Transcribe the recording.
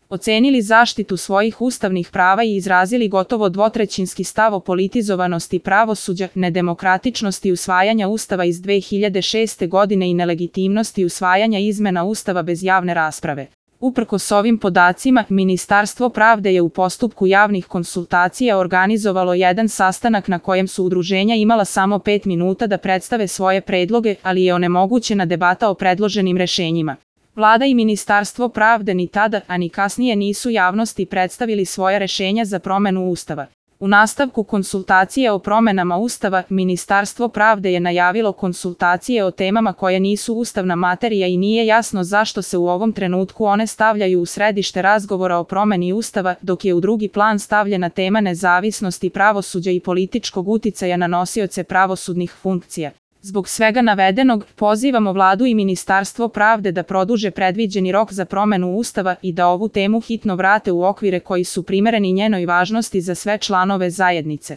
ocenili zaštitu svojih ustavnih prava i izrazili gotovo dvotrećinski stav o politizovanosti pravosuđa, nedemokratičnosti usvajanja Ustava iz 2006. godine i nelegitimnosti usvajanja izmena Ustava bez javne rasprave. Uprkos ovim podacima, Ministarstvo pravde je u postupku javnih konsultacija organizovalo jedan sastanak na kojem su udruženja imala samo 5 minuta da predstave svoje predloge, ali je onemogućena debata o predloženim rešenjima. Vlada i Ministarstvo pravde ni tada, a ni kasnije nisu javnosti predstavili svoja rešenja za promenu Ustava. U nastavku konsultacije o promenama Ustava, Ministarstvo pravde je najavilo konsultacije o temama koje nisu ustavna materija i nije jasno zašto se u ovom trenutku one stavljaju u središte razgovora o promeni Ustava, dok je u drugi plan stavljena tema nezavisnosti pravosuđa i političkog uticaja na nosioce pravosudnih funkcija. Zbog svega navedenog, pozivamo Vladu i Ministarstvo pravde da produže predviđeni rok za promenu Ustava i da ovu temu hitno vrate u okvire koji su primereni njenoj važnosti za sve članove zajednice.